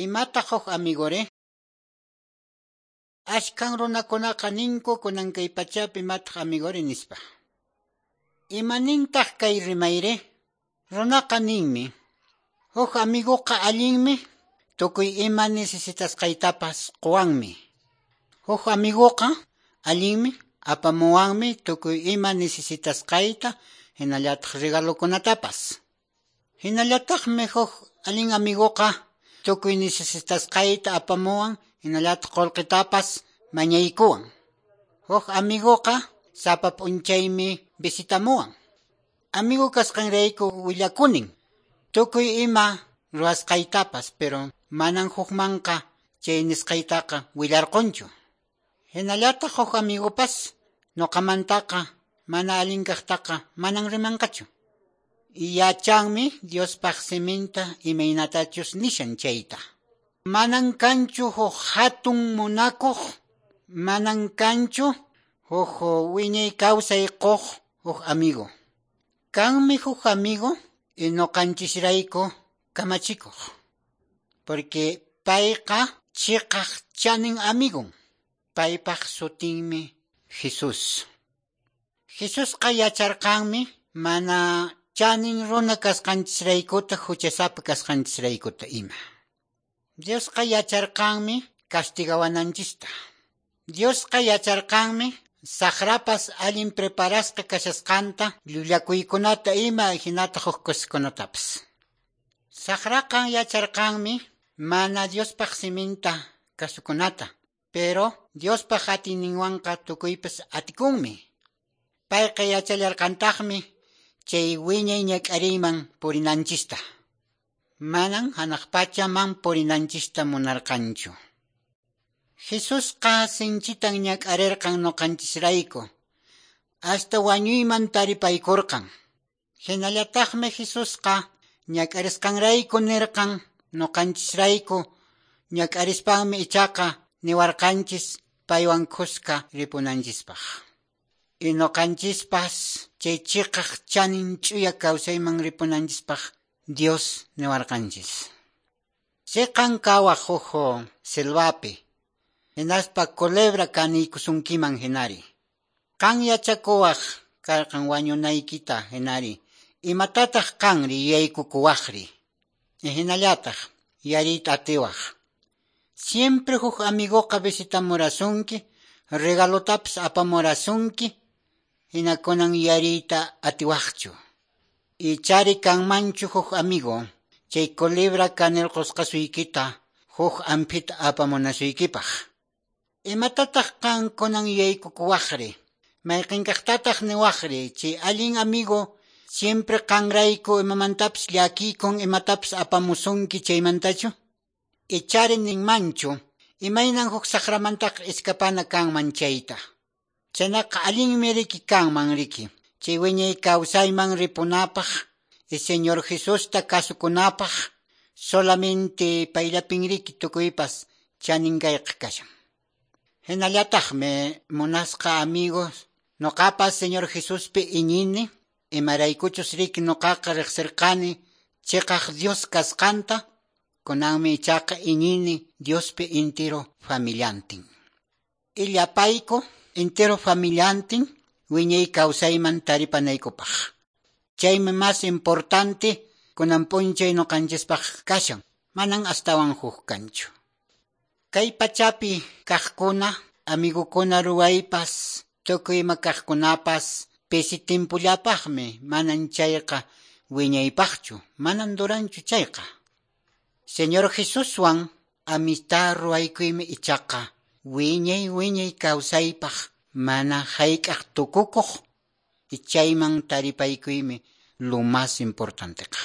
Imataq huk amigori? Ashkan runakunaqa ninku kunan kay pachapi imataq amigori nispa. Imanintaq kay rimayri? Runaqa ninmi, huk amiguqa allinmi, tukuy ima necesitasqaytapas quwanmi. Huk amiguqa allinmi, apamuwanmi tukuy ima necesitasqayta, hinallataq regalokunatapas. Hinallataqmi huk allin amiguqa tukuy necesitasqayta apamuwan, hinallataq qullqitapas mañaykuwan. Huk amiguqa sapa p'unchaymi visitamuwan. Amigo kasqanrayku willakunin, tukuy ima ruwasqaytapas, pero manan hukmanqa chay nisqaytaqa willarqunchu. Hinallataq huk amigupas nuqamantaqa mana allin kaqtaqa manan rimanqachu. Yachanmi Diospaq siminta imaynatachus nishan chayta. Manan kanchu huk hatun munakuq, manan kanchu huk wiñay kawsay quq huk amigo. Kanmi huk amigo y nuqanchisrayku kamachikuq. Porque payqa chiqaq chanin amigun. Paypaq sutinmi Jesús. Jesusqa yacharqanmi mana chanin runa kasqanchisraykuta huchasapa kasqanchisraykuta ima. Diosqa yacharqanmi castigawananchista. Diosqa yacharqanmi saqrapas allin preparasqa kashasqanta llullakuykunata ima hinataq huk coskunatapas. Saqraqa yacharqanmi mana Diospaq siminta kasukunata, pero Diospaq atiyninwanqa tukuypas atikunmi. Payqa yachallarqantaqmi chay wiñay ñak'ariyman purinanchista. Manan hanaq pachaman purinanchista munarqanchu. Jesusqa sinchitan ñak'arirqan nuqanchisrayku, hasta wañuyman taripaykurqan. Hinallataqmi Jesusqa ñak'arisqanrayku nirqan nuqanchisrayku, ñak'arispanmi ichaqa niwarqanchis paywan kuska ripunanchispaq. Y nuqanchispas chay chiqaq chanin ch'uya kawsayman ripunanchispaq Dios niwarqanchis. Chiqan kawaq huk selvapi, hinaspa culebra kaniykusunkiman hinari. Qan yachakuwaq karqan wañunaykita hinari. Imatataq qanri yuyaykukuwaqri? Hinallataq yariyta atiwaq. Siempre huk amiguqa visitamurasunki, regalotapas apamurasunki, hina kunan yariyta atiwaqchu. Ichari kanmanchu huk amigo, chay culebra kanirqusqasuykita huk amphita apamunasuykipaq. Imatataq qan kunan yuyaykukuwaqri? Mayqinkaqtataq niwaqri? Chay allin amigo siempre qanrayku imamantapas llakikun imatapas apamusunki chaymantachu? Ichari ninmanchu, imaynan huk saqramantaqa escapana kanman chayta. Chaynaqa allinmi riki kanman riki. Chay wiñay kawsayman ripunapaq, y Señor Jesusta kasukunapaq, solamente payllapin riki tukuypas chanin kayqa kashan. Hinallataqmi munasqa amigos, nuqapas Señor Jesuspi iñini, imaraykuchus riki nuqaqa riqsirqani chiqaq Dios kasqanta, kunanmi ichaqa iñini Diospi entero familiantin. Illapayku entero familiantin wiñay kawsayman taripanaykupaq. Chaymi más importante kunan p'unchay nuqanchispaq kashan, manan astawan huk kanchu. Kay pachapi kaqkuna, amigukuna ruwaypas, tukuy ima kaqkunapas pisi timpullapaqmi, manan chayqa wiñaypaqchu, manan duranchu chayqa. Señor Jesuswan amistad ruwaykuymi ichaqa wiñay wiñay kawsaypaq mana hayk'aq tukukuq, y chayman taripaykuymi lo más importanteqa.